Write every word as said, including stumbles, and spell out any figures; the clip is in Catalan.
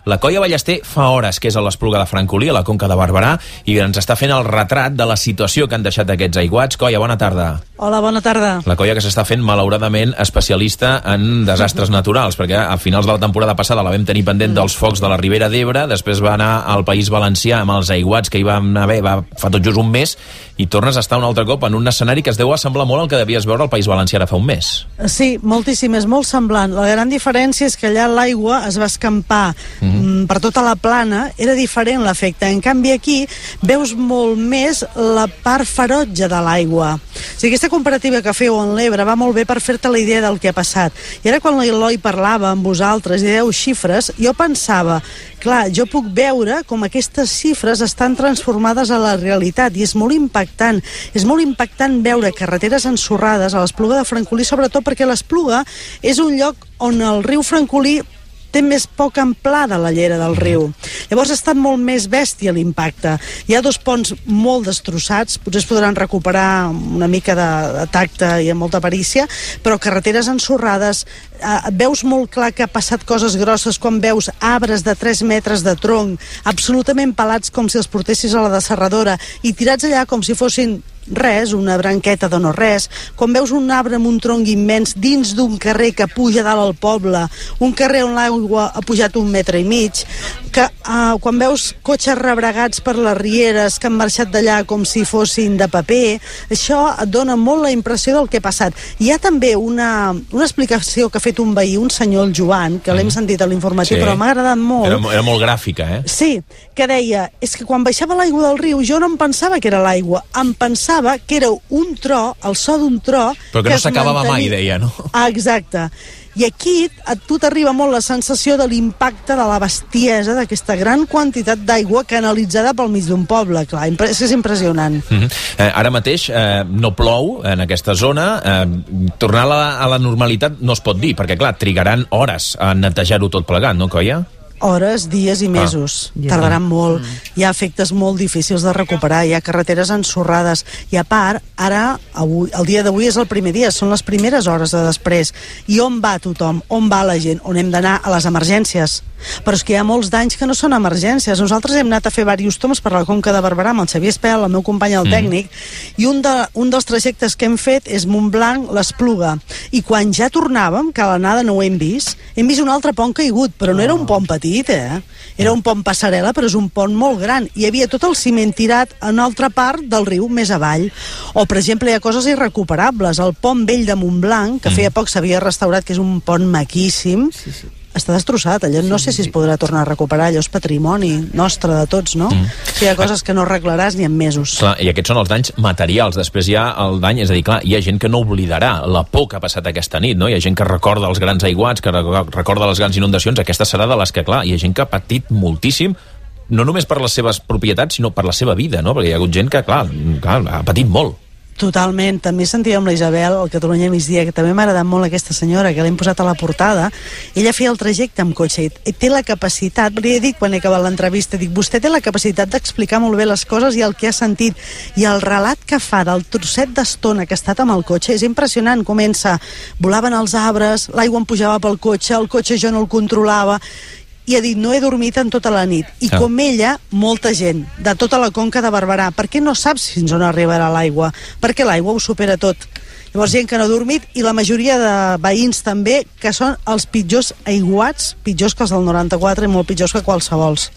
La Coia Ballester fa hores que és a l'Espluga de Francolí, a la Conca de Barberà, i ens està fent el retrat de la situació que han deixat aquests aiguats. Coia, bona tarda. Hola, bona tarda. La Coia que s'està fent, malauradament, especialista en desastres naturals, perquè a finals de la temporada passada la vam tenir pendent dels focs de la Ribera d'Ebre, després va anar al País Valencià amb els aiguats que hi vam haver va, fa tot just un mes, i tornes a estar un altre cop en un escenari que es deu assemblar molt al que devies veure al País Valencià ara fa un mes. Sí, moltíssim, és molt semblant. La gran diferència és que allà l'aigua es va escampar mm-hmm. per tota la plana, era diferent l'efecte. En canvi aquí veus molt més la part ferotge de l'aigua. O sigui, aquesta comparativa que feu en l'Ebre va molt bé per fer-te la idea del que ha passat. I ara quan l'Eloi parlava amb vosaltres i dèieu xifres, jo pensava, clar, jo puc veure com aquestes xifres estan transformades a la realitat i és molt impactant. És molt impactant veure carreteres ensorrades a l'Espluga de Francolí, sobretot perquè l'Espluga és un lloc on el riu Francolí té més poca amplada la llera del riu. Llavors ha estat molt més bèstia l'impacte. Hi ha dos ponts molt destrossats, potser es podran recuperar una mica de, de tacte i amb molta perícia, però carreteres ensorrades, eh, veus molt clar que ha passat coses grosses quan veus arbres de tres metres de tronc, absolutament pelats com si els portessis a la desserradora i tirats allà com si fossin res, una branqueta de no res. Quan veus un arbre amb un tronc immens dins d'un carrer que puja dalt al poble, un carrer on l'aigua ha pujat un metre i mig, que uh, quan veus cotxes rebregats per les rieres que han marxat d'allà com si fossin de paper, això et dona molt la impressió del que ha passat. Hi ha també una, una explicació que ha fet un veí, un senyor, el Joan, que l'hem sentit a l'informatiu, sí, però m'ha agradat molt. Era, era molt gràfica, eh? Sí, que deia, és que quan baixava l'aigua del riu jo no em pensava que era l'aigua, em pensava que era un tro, el so d'un tro... Però que, que no s'acabava mai, deia, no? Ah, exacte. I aquí a tu t'arriba molt la sensació de l'impacte de la bestiesa d'aquesta gran quantitat d'aigua canalitzada pel mig d'un poble. Clar, és, és impressionant. Mm-hmm. eh, ara mateix eh, no plou en aquesta zona. Eh, tornar a la, a la normalitat no es pot dir, perquè, clar, trigaran hores a netejar-ho tot plegat, no, Coia? Hores, dies i mesos. Ah, tardaran molt. Mm. Hi ha efectes molt difícils de recuperar, hi ha carreteres ensorrades. I a part, ara, avui, el dia d'avui és el primer dia, són les primeres hores de després. I on va tothom? On va la gent? On hem d'anar? A les emergències. Però és que hi ha molts danys que no són emergències. Nosaltres hem anat a fer diversos toms per la Conca de Barberà amb el Xavier Espel, el meu company el tècnic, mm. i un, de, un dels trajectes que hem fet és Montblanc, l'Espluga. I quan ja tornàvem, que a l'anada no ho hem vist, hem vist un altre pont caigut, però no era un pont petit, eh? Era un pont passarel·la, però és un pont molt gran. Hi havia tot el ciment tirat en altra part del riu, més avall. O, per exemple, hi ha coses irrecuperables. El pont vell de Montblanc, que feia poc s'havia restaurat, que és un pont maquíssim, sí, sí. està destrossat. Allò no sé si es podrà tornar a recuperar. Allò és patrimoni nostre de tots, no? Mm. Hi ha coses que no arreglaràs ni en mesos. Clar, i aquests són els danys materials. Després hi ha el dany, és a dir, clar, hi ha gent que no oblidarà la por que ha passat aquesta nit, no? Hi ha gent que recorda els grans aiguats, que recorda les grans inundacions. Aquesta serà de les que, clar, hi ha gent que ha patit moltíssim, no només per les seves propietats, sinó per la seva vida, no? Perquè hi ha hagut gent que, clar, clar ha patit molt. Totalment. També sentíem la Isabel, el Catalunya Migdia, que també m'ha agradat molt aquesta senyora, que l'hem posat a la portada. Ella feia el trajecte amb cotxe i té la capacitat, li he dit quan he acabat l'entrevista, dic, vostè té la capacitat d'explicar molt bé les coses i el que ha sentit. I el relat que fa del trosset d'estona que ha estat amb el cotxe és impressionant. Comença, volaven els arbres, l'aigua em pujava pel cotxe, el cotxe jo no el controlava, i ha dit, no he dormit en tota la nit. I ah. com ella, molta gent, de tota la Conca de Barberà, perquè no saps fins on arribarà l'aigua, perquè l'aigua ho supera tot. Llavors, gent que no ha dormit, i la majoria de veïns també, que són els pitjors aiguats, pitjors que els del noranta-quatre i molt pitjors que qualsevols.